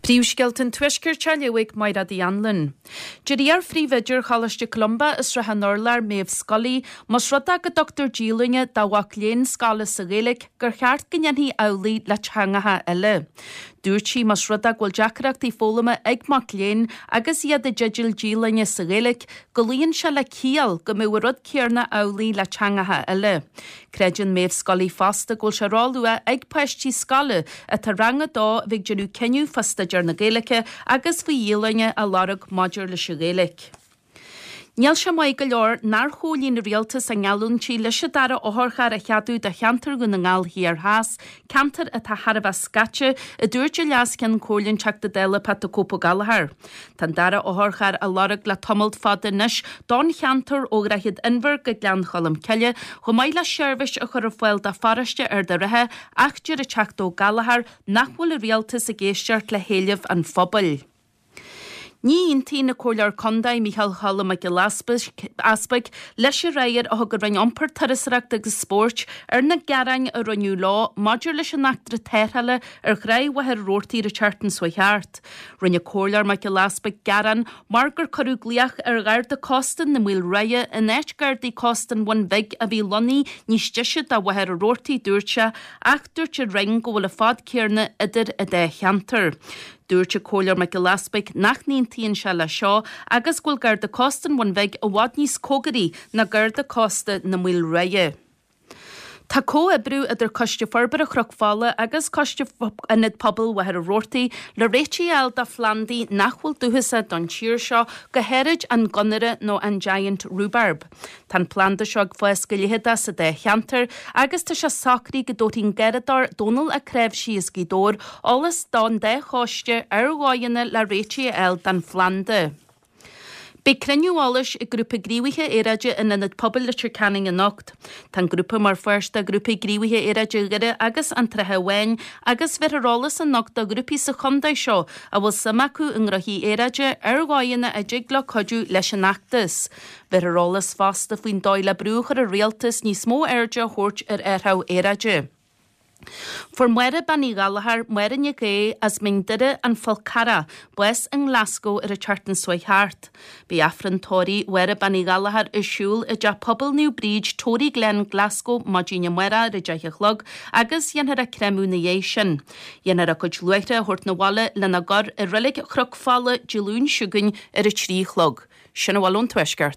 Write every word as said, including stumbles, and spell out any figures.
Príomhscéalta an Tuaiscirt á léamh ag Máire Uí Anluain. Deir iar-phríomhoide Choláiste Columba i Srath an Urláir Maeve Scully, más rud é go dtugtar díolúine do mhac léinn scoile sa Ghaeilge gur cheart go ndéanfaí amhlaidh le teangacha eile. Dúirt sí más rud é go bhfuil deacrachtaí foghlama ag mac léinn agus iad i dteideal díolúine sa Ghaeilge, go luíonn sé le ciall go mbeadh an rud céanna amhlaidh le teangacha eile. Creideann Maeve Scully fosta go bhfuil sé róluath ag páistí scoile atá rang a dó a bheith ag déanamh cinneadh fá staidéar na Gaeilge agus faoi dhíolúine a lorg maidir leis an Ghaeilge. Níl sé maith go leor nár chomhlíon an rialtas a ngeallúintí leis an dara otharcharr a cheadú do cheantar Dhún na nGall Thiar Theas, ceantar atá thar a bheith scaite, a dúirt an Leas-Cheann Comhairle an Teachta Dála Pat the Cope Ó Gallchóir. Tá an dara otharcharr á lorg le tamalt fada anois don cheantar ó Dhroichead Inbhir go Gleann Cholm Cille, chomh maith le seirbhís a chur ar fáil do pharóiste Ard an Rátha ach deir an Teachta Ó Gallchóir nach bhfuil an rialtas ag éisteacht le héilimh an phobail. Ní aontaíonn an Comhairleoir Contae Micheál Choilm Mac Giolla Easpaig leis an fhreagra a thug an Roinn Iompair Turasóireachta agus Spóirt ar na gearáin a rinneadh leo maidir leis an eachtra tarrthála ar thráigh Mhachaire Rabhartaigh an tseachtain seo thart. Rinne Comhairleoir Mac Giolla Easpaig gearán mar gur cuireadh glaoch ar Gharda Cósta na Maoilrátha in áit Gardaí Cósta an Bhun Bhig a bhí lonnaithe níos deise do Mhachaire Rabhartaigh dúirt sé ach dúirt an Roinn go bhfuil an fad céanna idir an dá cheantar. Dúirt an Comhairleoir Mac Giolla Easpaig nach n-aontaíonn sé le seo agus go bhfuil Garda Cósta an Bhun Bhig i bhfad níos cóngaraí ná Garda Cósta na Maoilrátha. Tá comhoibriú idir Coiste Forbartha Chnoc Fola agus Coiste Ionad Pobail Mhachaire Rabhartaigh le réitigh a fháil do phlandaí nach bhfuil dúchasach don tír seo, go háirid an gunnera nó an giant rhubarb. Tá an planda seo ag fás go leitheadach sa dá cheantar agus tá sé socraithe go dtabharfaidh an garraíodóir Dónal Ó Cnáimhsí as Gaoth Dobhair eolas don dá choiste ar dhóigheanna le réitigh a fháil don phlanda. Beidh cruinniú eolais ag grúpa gníomhaithe aeráide in Ionad Pobail Leitir Ceanainn anocht. Tá an grúpa mar pháirt de ghrúpa gníomhaithe aeráide Dhoire agus an tSratha Bháin agus bhéarfar eolas anocht do ghrúpaí sa chontae seo a bhfuil suim acu i ngnóthaí aeráide ar dhóigheanna a dtig leo cuidiú leis an fheachtas. Bhéarfar eolas fosta faoin dóigh le brú a chur ar an rialtas níos mó airde a thabhairt ar athrú aeráide. Fuair Máire Bean Uí Ghallchóir, Máire Nic Aodha as Mín Doire an Fhál Carrach, bás i nGlasgow ar an tseachtain seo thart. Beidh Aifreann tórraimh Mháire Bean Uí Ghallchóir ar siúl i dTeach Pobail Naomh Bríd, Toryglen, Glasgow, maidin amárach ar a deich a chlog agus dhéanfar a créamadh ina dhiaidh sin. Dhéanfar a cuid luaithre a thabhairt 'na bhaile lena gcur i reilig Chnoc Fola Dé Luain seo chugainn ar a trí a chlog. Sin a bhfuil ón Tuaisceart.